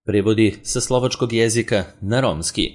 Prevodi sa slovačkog jezika na romski.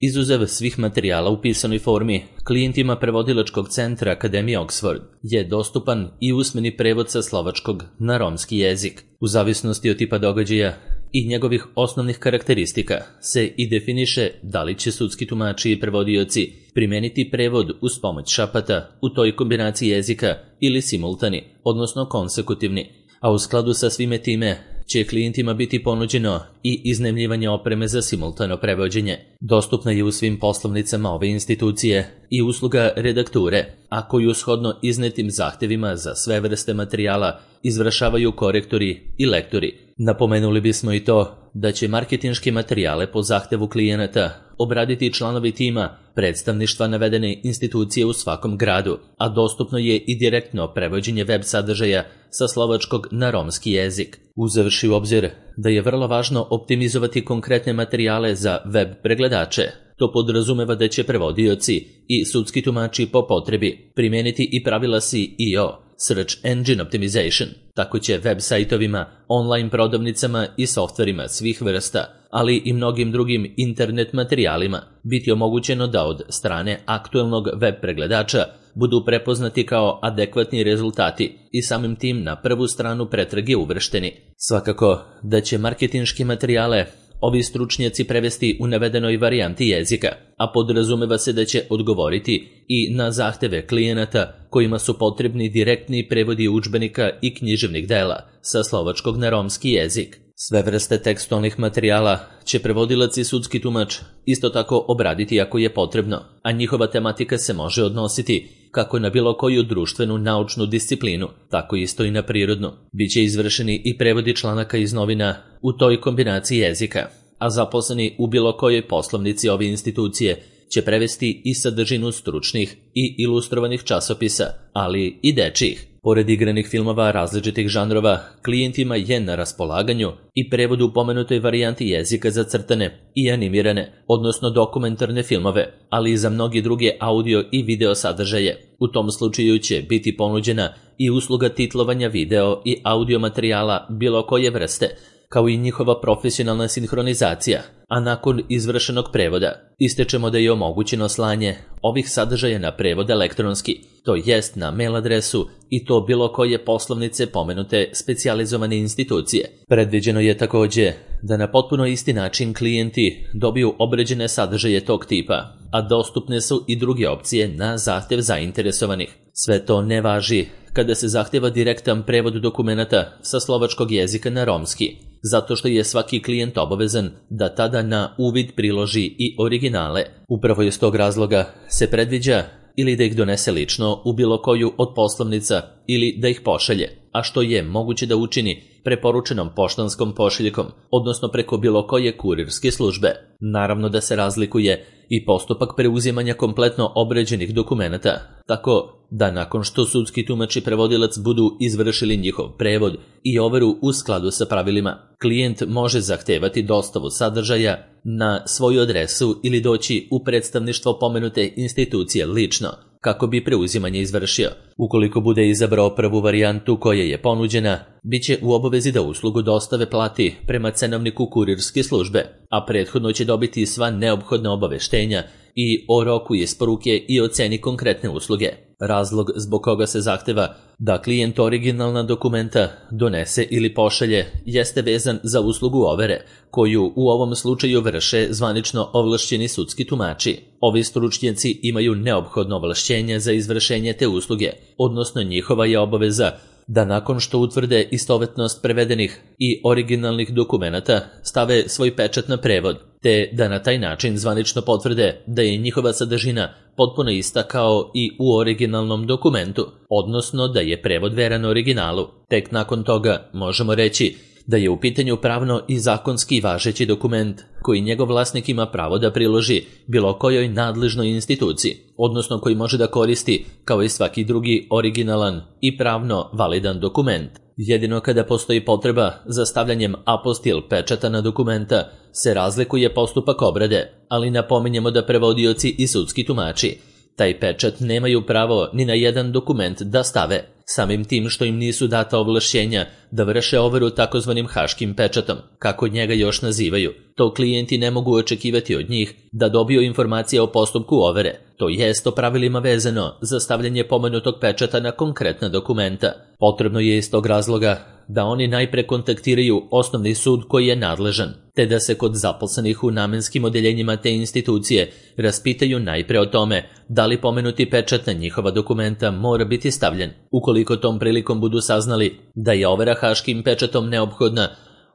Izuzev svih materijala u pisanoj formi, klijentima prevodilačkog centra Akademije Oxford je dostupan i usmeni prevod sa slovačkog na romski jezik. U zavisnosti od tipa događaja i njegovih osnovnih karakteristika se i definiše da li će sudski tumači i prevodioci primeniti prevod uz pomoć šapata u toj kombinaciji jezika ili simultani, odnosno konsekutivni, a u skladu sa svime time će klijentima biti ponuđeno i iznajmljivanje opreme za simultano prevođenje. Dostupna je u svim poslovnicama ove institucije i usluga redakture, a koju shodno iznetim zahtevima za sve vrste materijala izvršavaju korektori i lektori. Napomenuli bismo i to da će marketinške materijale po zahtevu klijenata obraditi članovi tima predstavništva navedene institucije u svakom gradu, a dostupno je i direktno prevođenje web sadržaja sa slovačkog na romski jezik. Uzevši u obzir da je vrlo važno optimizovati konkretne materijale za web pregledače, to podrazumeva da će prevodioci i sudski tumači po potrebi primeniti i pravila SEO, Search Engine Optimization. Tako će web sajtovima, online prodavnicama i softverima svih vrsta, ali i mnogim drugim internet materijalima biti omogućeno da od strane aktuelnog web pregledača budu prepoznati kao adekvatni rezultati i samim tim na prvu stranu pretrage uvršteni. Svakako da će marketinške materijale ovi stručnjaci prevesti u navedenoj varijanti jezika, a podrazumeva se da će odgovoriti i na zahteve klijenata kojima su potrebni direktni prevodi udžbenika i književnih dela sa slovačkog na romski jezik. Sve vrste tekstualnih materijala će prevodilac i sudski tumač isto tako obraditi ako je potrebno, a njihova tematika se može odnositi kako na bilo koju društvenu naučnu disciplinu, tako isto i na prirodnu. Biće izvršeni i prevodi članaka iz novina u toj kombinaciji jezika, a zaposleni u bilo kojoj poslovnici ove institucije će prevesti i sadržinu stručnih i ilustrovanih časopisa, ali i dečijih. Pored igranih filmova različitih žanrova, klijentima je na raspolaganju i prevod u pomenutoj varijanti jezika za crtane i animirane, odnosno dokumentarne filmove, ali i za mnogi druge audio i video sadržaje. U tom slučaju će biti ponuđena i usluga titlovanja video i audio materijala bilo koje vrste, kao i njihova profesionalna sinhronizacija, a nakon izvršenog prevoda ističemo da je omogućeno slanje ovih sadržaja na prevod elektronski, to jest na mail adresu i to bilo koje poslovnice pomenute specijalizovane institucije. Predviđeno je također da na potpuno isti način klijenti dobiju obređene sadržaje tog tipa, a dostupne su i druge opcije na zahtev zainteresovanih. Sve to ne važi kada se zahteva direktan prevod dokumenata sa slovačkog jezika na romski, zato što je svaki klijent obavezan da tada na uvid priloži i originale. Upravo iz tog razloga se predviđa ili da ih donese lično u bilo koju od poslovnica ili da ih pošalje, a što je moguće da učini preporučenom poštanskom pošiljkom, odnosno preko bilo koje kurirske službe. Naravno da se razlikuje i postupak preuzimanja kompletno obređenih dokumenata, tako da nakon što sudski tumač i prevodilac budu izvršili njihov prevod i overu u skladu sa pravilima, klijent može zahtevati dostavu sadržaja na svoju adresu ili doći u predstavništvo pomenute institucije lično, kako bi preuzimanje izvršio. Ukoliko bude izabrao prvu varijantu koja je ponuđena, bit će u obavezi da uslugu dostave plati prema cenovniku kurirske službe, a prethodno će dobiti sva neophodna obaveštenja i o roku isporuke i o ceni konkretne usluge. Razlog zbog koga se zahteva da klijent originalna dokumenta donese ili pošalje jeste vezan za uslugu overe, koju u ovom slučaju vrše zvanično ovlašćeni sudski tumači. Ovi stručnjaci imaju neophodno ovlašćenje za izvršenje te usluge, odnosno njihova je obaveza da nakon što utvrde istovetnost prevedenih i originalnih dokumenata stave svoj pečat na prevod, te da na taj način zvanično potvrde da je njihova sadržina potpuno ista kao i u originalnom dokumentu, odnosno da je prevod veran originalu. Tek nakon toga možemo reći da je u pitanju pravno i zakonski važeći dokument koji njegov vlasnik ima pravo da priloži bilo kojoj nadležnoj instituciji, odnosno koji može da koristi kao i svaki drugi originalan i pravno validan dokument. Jedino kada postoji potreba za stavljanjem apostil pečata na dokumenta se razlikuje postupak obrade, ali napominjemo da prevodioci i sudski tumači Taj pečat nemaju pravo ni na jedan dokument da stave, samim tim što im nisu data ovlašćenja da vrše overu takozvanim haškim pečatom, kako njega još nazivaju. To klijenti ne mogu očekivati od njih da dobiju informacije o postupku overe, to jest o pravilima vezano za stavljanje pomenutog pečata na konkretna dokumenta. Potrebno je iz tog razloga da oni najpre kontaktiraju osnovni sud koji je nadležan, te da se kod zaposlenih u namenskim odeljenjima te institucije raspitaju najpre o tome da li pomenuti pečat na njihova dokumenta mora biti stavljen. Ukoliko tom prilikom budu saznali da je overa haškim pečatom neophodna,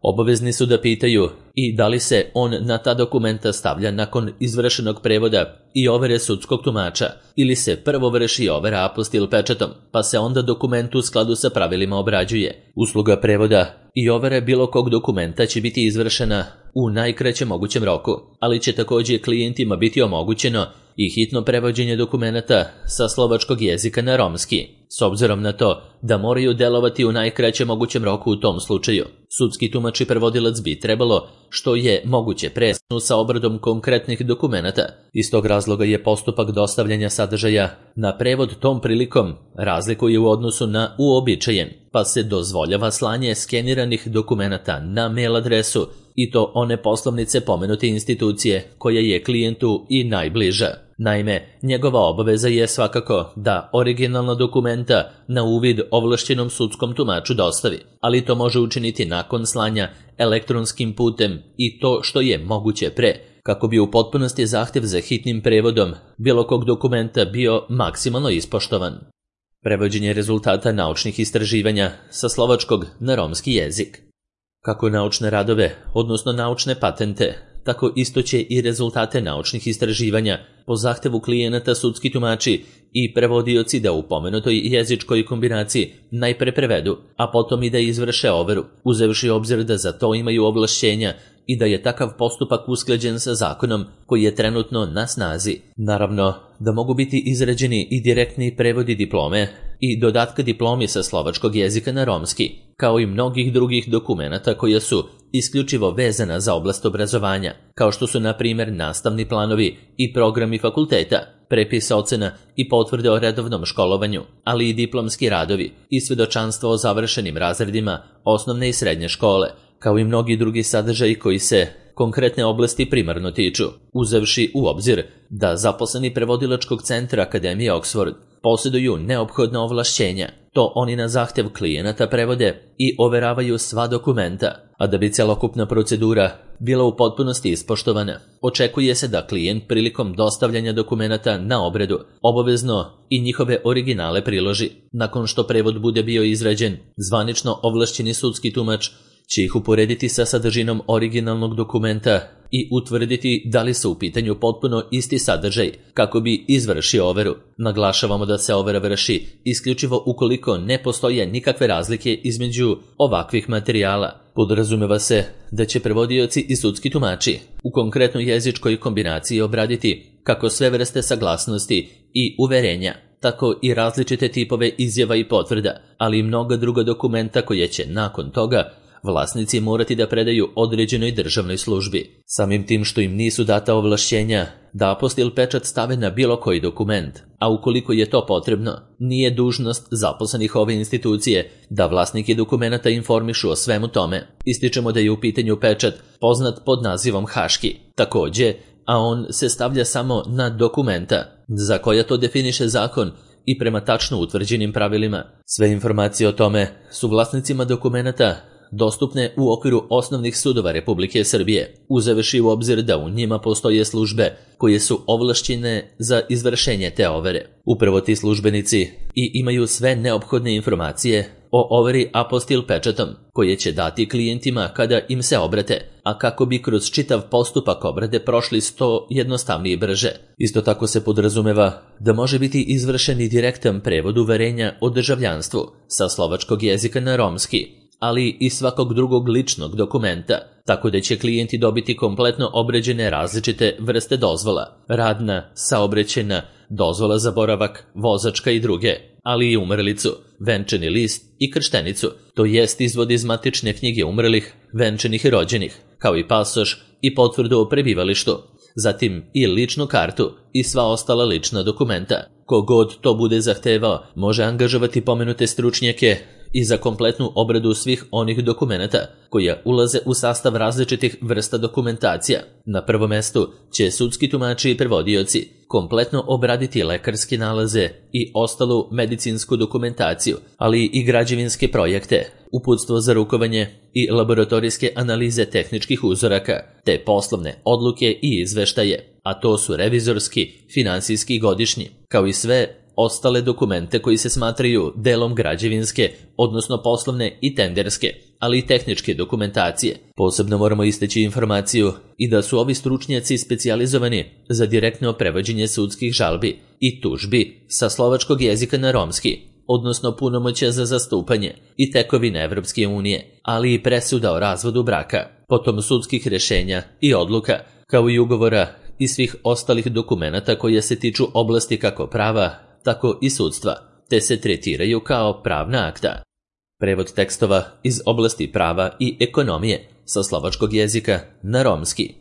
obavezni su da pitaju i da li se on na ta dokumenta stavlja nakon izvršenog prevoda i overe sudskog tumača, ili se prvo vrši overa apostil pečatom, pa se onda dokument u skladu sa pravilima obrađuje. Usluga prevoda i overe bilo kog dokumenta će biti izvršena u najkraćem mogućem roku, ali će također klijentima biti omogućeno i hitno prevođenje dokumenata sa slovačkog jezika na romski, s obzirom na to da moraju delovati u najkraćem mogućem roku u tom slučaju. Sudski tumač i prevodilac bi trebalo što je moguće presnu sa obradom konkretnih dokumenata. Iz tog razloga je postupak dostavljanja sadržaja na prevod tom prilikom razlikuje u odnosu na uobičajen, pa se dozvoljava slanje skeniranih dokumenata na mail adresu i to one poslovnice pomenute institucije koja je klijentu i najbliža. Naime, njegova obaveza je svakako da originalna dokumenta na uvid ovlašćenom sudskom tumaču dostavi, ali to može učiniti nakon slanja elektronskim putem i to što je moguće pre, kako bi u potpunosti zahtjev za hitnim prevodom bilo kog dokumenta bio maksimalno ispoštovan. Prevođenje rezultata naučnih istraživanja sa slovačkog na romski jezik. Kako naučne radove, odnosno naučne patente, tako isto će i rezultate naučnih istraživanja po zahtevu klijenata sudski tumači i prevodioci da u pomenutoj jezičkoj kombinaciji najpre prevedu, a potom i da izvrše overu, uzevši obzir da za to imaju ovlašćenja i da je takav postupak usklađen sa zakonom koji je trenutno na snazi. Naravno, da mogu biti izrađeni i direktni prevodi diplome i dodatka diplomi sa slovačkog jezika na romski, kao i mnogih drugih dokumenata koja su isključivo vezana za oblast obrazovanja, kao što su na primjer nastavni planovi i programi fakulteta, prepis ocena i potvrde o redovnom školovanju, ali i diplomski radovi i svjedočanstvo o završenim razredima osnovne i srednje škole, kao i mnogi drugi sadržaji koji se konkretne oblasti primarno tiču, uzevši u obzir da zaposleni prevodilačkog centra Akademije Oxford posjeduju neophodna ovlašćenja. To oni na zahtjev klijenata prevode i overavaju sva dokumenta, a da bi celokupna procedura bila u potpunosti ispoštovana, očekuje se da klijent prilikom dostavljanja dokumenata na obradu obavezno i njihove originale priloži. Nakon što prevod bude bio izrađen, zvanično ovlašćeni sudski tumač će ih uporediti sa sadržinom originalnog dokumenta i utvrditi da li su u pitanju potpuno isti sadržaj kako bi izvršio overu. Naglašavamo da se overa vrši isključivo ukoliko ne postoje nikakve razlike između ovakvih materijala. Podrazumeva se da će prevodioci i sudski tumači u konkretnoj jezičkoj kombinaciji obraditi kako sve vrste saglasnosti i uverenja, tako i različite tipove izjava i potvrda, ali i mnoga druga dokumenta koje će nakon toga vlasnici morati da predaju određenoj državnoj službi. Samim tim što im nisu data ovlašćenja da apostil pečat stave na bilo koji dokument, a ukoliko je to potrebno, nije dužnost zaposlenih ove institucije da vlasnike dokumenata informišu o svemu tome. Ističemo da je u pitanju pečat poznat pod nazivom haški, također, a on se stavlja samo na dokumenta, za koja to definiše zakon i prema tačno utvrđenim pravilima. Sve informacije o tome su vlasnicima dokumenata dostupne u okviru osnovnih sudova Republike Srbije, uzevši u obzir da u njima postoje službe koje su ovlašćene za izvršenje te overe. Upravo ti službenici i imaju sve neophodne informacije o overi apostil pečatom, koje će dati klijentima kada im se obrate, a kako bi kroz čitav postupak obrade prošli što jednostavnije i brže. Isto tako se podrazumeva da može biti izvršen i direktan prevod uverenja o državljanstvu sa slovačkog jezika na romski, ali i svakog drugog ličnog dokumenta, tako da će klijenti dobiti kompletno obrađene različite vrste dozvola, radna, saobraćajna, dozvola za boravak, vozačka i druge, ali i umrlicu, venčani list i krštenicu, to jest izvod iz matične knjige umrlih, venčanih i rođenih, kao i pasoš i potvrdu o prebivalištu. zatim i ličnu kartu i sva ostala lična dokumenta. Kogod to bude zahtevao može angažovati pomenute stručnjake i za kompletnu obradu svih onih dokumenata koja ulaze u sastav različitih vrsta dokumentacija. Na prvom mestu će sudski tumači i prevodioci kompletno obraditi lekarske nalaze i ostalu medicinsku dokumentaciju, ali i građevinske projekte, uputstvo za rukovanje i laboratorijske analize tehničkih uzoraka, te poslovne odluke i izveštaje, a to su revizorski, finansijski i godišnji, kao i sve ostale dokumente koji se smatraju delom građevinske, odnosno poslovne i tenderske, ali i tehničke dokumentacije. Posebno moramo istaći informaciju i da su ovi stručnjaci specijalizovani za direktno prevođenje sudskih žalbi i tužbi sa slovačkog jezika na romski, odnosno punomoćja za zastupanje i tekovine Evropske unije, ali i presuda o razvodu braka, potom sudskih rešenja i odluka, kao i ugovora i svih ostalih dokumenata koje se tiču oblasti kako prava, tako i sudstva, te se tretiraju kao pravna akta. Prevod tekstova iz oblasti prava i ekonomije sa slovačkog jezika na romski.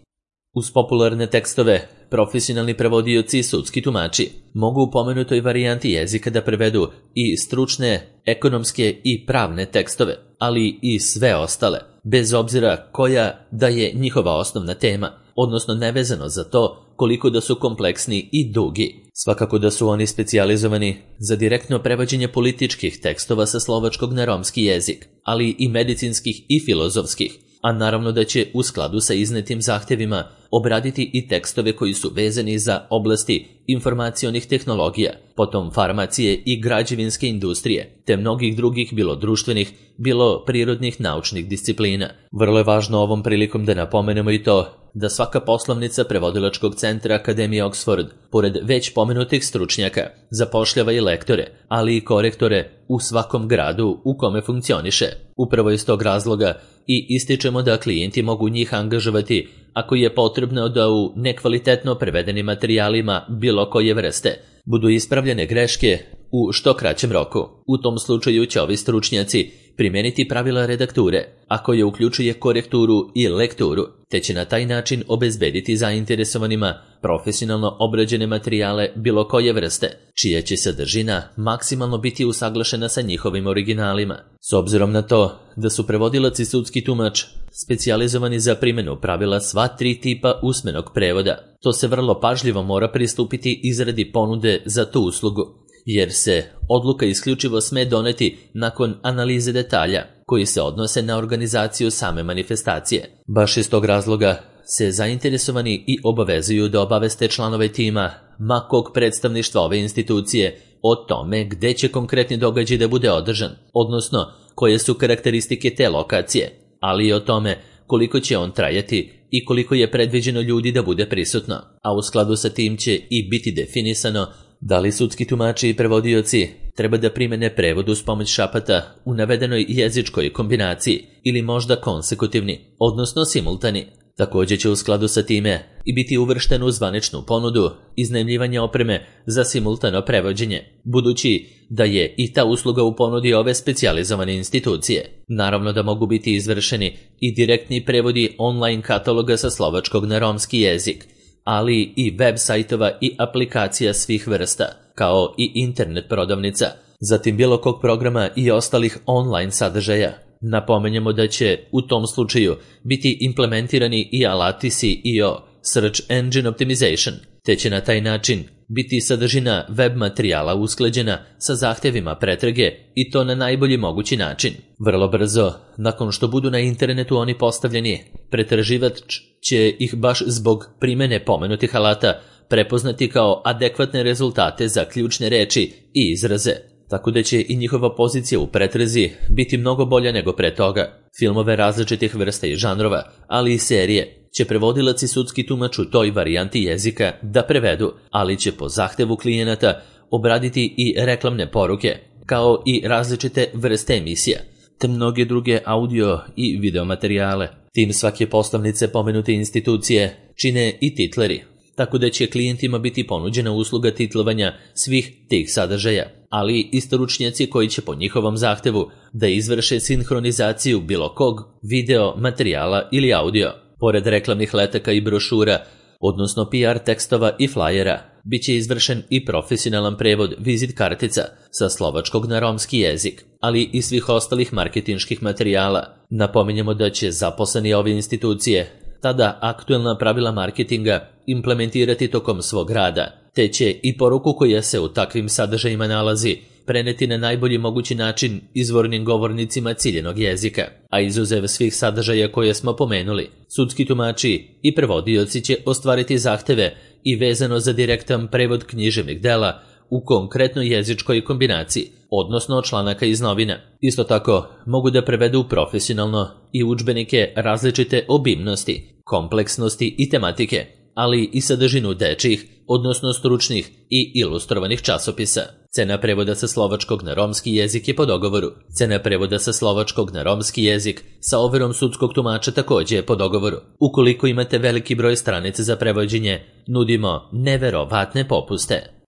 Uz popularne tekstove, profesionalni prevodioci i sudski tumači mogu u pomenutoj varijanti jezika da prevedu i stručne, ekonomske i pravne tekstove, ali i sve ostale, bez obzira koja da je njihova osnovna tema, odnosno nevezano za to koliko da su kompleksni i dugi. Svakako da su oni specijalizovani za direktno prevođenje političkih tekstova sa slovačkog na romski jezik, ali i medicinskih i filozofskih, a naravno da će u skladu sa iznetim zahtevima obraditi i tekstove koji su vezani za oblasti informacionih tehnologija, potom farmacije i građevinske industrije, te mnogih drugih bilo društvenih, bilo prirodnih naučnih disciplina. Vrlo je važno ovom prilikom da napomenemo i to da svaka poslovnica prevodilačkog centra Akademije Oxford, pored već pomenutih stručnjaka, zapošljava i lektore, ali i korektore u svakom gradu u kome funkcioniše. Upravo iz tog razloga i ističemo da klijenti mogu njih angažovati ako je potrebno da u nekvalitetno prevedenim materijalima bilo koje vrste budu ispravljene greške u što kraćem roku. U tom slučaju će ovi stručnjaci primijeniti pravila redakture, a koje uključuje korekturu i lekturu, te će na taj način obezbediti zainteresovanima profesionalno obrađene materijale bilo koje vrste, čija će sadržina maksimalno biti usaglašena sa njihovim originalima. S obzirom na to da su prevodilac i sudski tumač specijalizovani za primjenu pravila sva tri tipa usmenog prevoda, to se vrlo pažljivo mora pristupiti izradi ponude za tu uslugu, jer se odluka isključivo sme doneti nakon analize detalja koji se odnose na organizaciju same manifestacije. Baš iz tog razloga se zainteresovani i obavezuju da obaveste članove tima ma kog predstavništva ove institucije o tome gde će konkretni događaj da bude održan, odnosno koje su karakteristike te lokacije, ali i o tome koliko će on trajati i koliko je predviđeno ljudi da bude prisutno, a u skladu sa tim će i biti definisano da li sudski tumači i prevodioci treba da primene prevod uz pomoć šapata u navedenoj jezičkoj kombinaciji ili možda konsekutivni, odnosno simultani. Također će u skladu sa time i biti uvršten u zvaničnu ponudu iznajmljivanja opreme za simultano prevođenje, budući da je i ta usluga u ponudi ove specijalizovane institucije. Naravno da mogu biti izvršeni i direktni prevodi online kataloga sa slovačkog na romski jezik, ali i web sajtova i aplikacija svih vrsta, kao i internet prodavnica, zatim bilo kog programa i ostalih online sadržaja. Napomenjemo da će u tom slučaju biti implementirani i alati SEO, Search Engine Optimization, te će na taj način biti sadržina web materijala usklađena sa zahtevima pretrage i to na najbolji mogući način. Vrlo brzo, nakon što budu na internetu oni postavljeni, pretraživač će ih baš zbog primene pomenutih alata prepoznati kao adekvatne rezultate za ključne reči i izraze, tako da će i njihova pozicija u pretrazi biti mnogo bolja nego pre toga. Filmove različitih vrsta i žanrova, ali i serije, će prevodilac i sudski tumač u toj varijanti jezika da prevedu, ali će po zahtevu klijenata obraditi i reklamne poruke, kao i različite vrste emisija, te mnoge druge audio i video materijale. Tim svake poslovnice pomenute institucije čine i titleri, tako da će klijentima biti ponuđena usluga titlovanja svih tih sadržaja, ali i stručnjaci koji će po njihovom zahtevu da izvrše sinhronizaciju bilo kog video, materijala ili audio. Pored reklamnih letaka i brošura, odnosno PR tekstova i flajera. Biće izvršen i profesionalan prevod vizit kartica sa slovačkog na romski jezik, ali i svih ostalih marketinških materijala. Napominjemo da će zaposleni ove institucije tada aktuelna pravila marketinga implementirati tokom svog rada, te će i poruku koja se u takvim sadržajima nalazi preneti na najbolji mogući način izvornim govornicima ciljenog jezika, a izuzev svih sadržaja koje smo pomenuli, sudski tumači i prevodioci će ostvariti zahteve i vezano za direktan prevod književnih dela u konkretnoj jezičkoj kombinaciji, odnosno članaka iz novina. Isto tako, mogu da prevedu profesionalno i udžbenike različite obimnosti, kompleksnosti i tematike, ali i sadržinu dečjih, odnosno stručnih i ilustrovanih časopisa. Cena prevoda sa slovačkog na romski jezik je po dogovoru. Cena prevoda sa slovačkog na romski jezik sa overom sudskog tumača također je po dogovoru. Ukoliko imate veliki broj stranica za prevođenje, nudimo neverovatne popuste.